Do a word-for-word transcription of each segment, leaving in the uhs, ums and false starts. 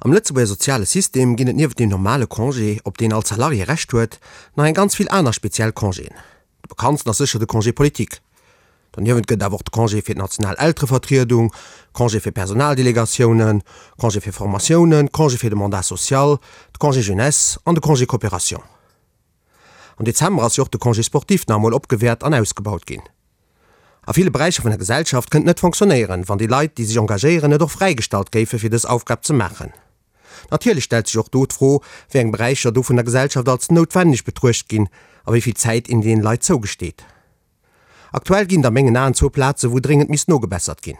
Am Lëtzebuerger soziale System ginn et nieft dem normale Congé, op deen all Salarié Recht huet, nach eng ganz vill aner speziell Congéen. De bekanntsten ass sécher de Congé politique. Doniewent gëtt et awer och de Congé fir d'national Elterevertriedung, Congé fir Personaldelegatiounen, Congé fir Formatiounen, Congé fir de Mandat social, de Congé jeunesse an de Congé coopération. Am Dezember ass jo och de Congé sportif nach emol opgewäert an ausgebaut ginn. A ville Beräicher vun der Gesellschaft kënnt net fonctionnéieren, wann déi Leit, déi sech engagéieren, net och fräigestallt géife fir dës Aufgab ze maachen. Natierlech stellt sech och do d'Fro, wéi eng Beräicher do vun der Gesellschaft als noutwenneg betruecht ginn a wéi vill Zäit een deene Leit zougesteet. Aktuell ginn et a mengen Aen zwou Plaze wou dréngend misst nogebessert ginn.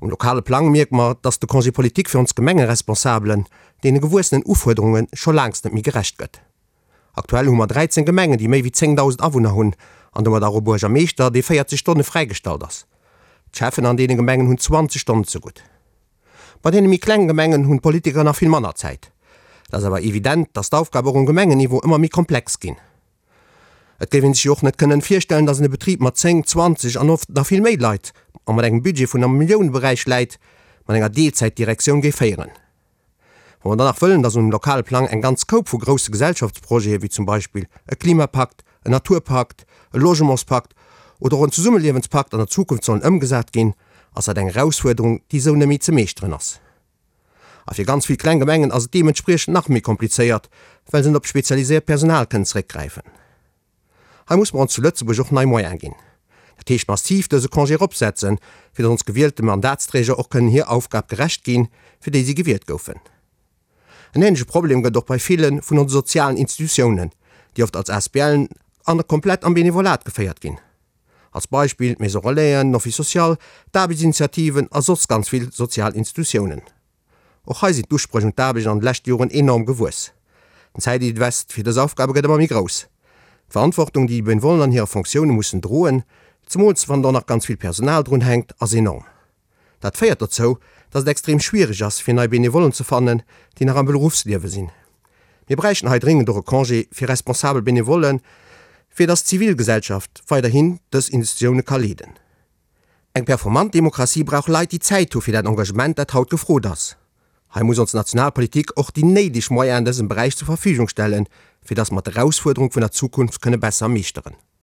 Um lokale Plang mierke mer, dass de Congé politique fir ons Gemengeresponsabelen deene gewuessenen Ufuerderunge scho laangst net méi gerecht gëtt. Aktuell hu mer dräizéng Gemengen, déi méi wéi zéngdausend Awunner hunn an domat och e Buergermeeschter, dee véierzeg Stonne fräigestallt ass. D'Schäffen an deene Gemengen hunn zwanzeg Stonnen zegutt. Bei deene méi klenge Gemengen hunn d'Politiker nach vill manner Zäit. Et ass awer evident, dass d'Aufgabe och um Gemengenniveau ëmmer méi komplex ginn. Et géif ee sech jo och net kënnen virstellen, dass een e Betrib mat zéng, zwanzeg an oft nach vill méi Leit a mat engem Budget vun am Milliouneberäich läit, mat enger Deelzäitdirektioun géif féieren. Wa mer dann nach wëllen, dass um lokale Plang eng ganz Koup vu grousse Gesellschaftsprojete wéi zum Beispill e Klimapakt, en Naturpakt, e Logementspakt oder och en Zesummeliewenspakt an der Zukunft sollen ëmgesat ginn, ass dat eng Erausfuerderung, déi esou net méi ze meeschteren ass. A fir ganz vill kleng Gemengen ass et deementspriechend nach méi komplizéiert, well se net op spezialiséiert Personal kënnen zeréckgräifen. Hei muss mer ons zu Lëtzebuerg och nei Moyene ginn. Dat heescht massiv dëse Congé eropsetzen, fir datt ons gewielte Mandatsträger och kënnen hir Aufgab gerecht ginn, fir déi si gewielt goufen. En änleche Problem gëtt et och bei ville vun onse sozialen Institutiounen, déi oft als ASBLen an komplett am Benevolat geféiert ginn. Als Beispill d'Maison Relaisen, den Office social, d'Aarbechtsinitiativen a soss ganz vill sozial Institutiounen. Och hei sinn d'Uspréch un d'Aarbecht an de leschte Joren enorm gewuess. Den Zäitinvest fir dës Aufgabe gëtt ëmmer méi grouss. D'Verantwortung, déi déi Benevollen an hire Fonctioune mussen droen, zemools wann do nach ganz vill Personal drun hänkt, ass enorm. Dat féiert dozou, dass et extrem schwiereg ass, fir nei Benevollen ze fannen, déi nach am Beruffsliewe sinn. Mir bräichten hei dringend och e Congé fir responsabel Benevollen, fir dass d'Zivilgesellschaft weiderhin dës Institutioune ka leeden. Eng performant Demokratie brauch Leit, déi Zäit hu fir dat Engagement, dat haut gefrot ass. Hei muss ons national Politik och déi néideg Moyenen an dësem Beräich zur Verfügung stellen, fir dass mer d'Erausfuerderung vun der Zukunft kënne besser meeschteren.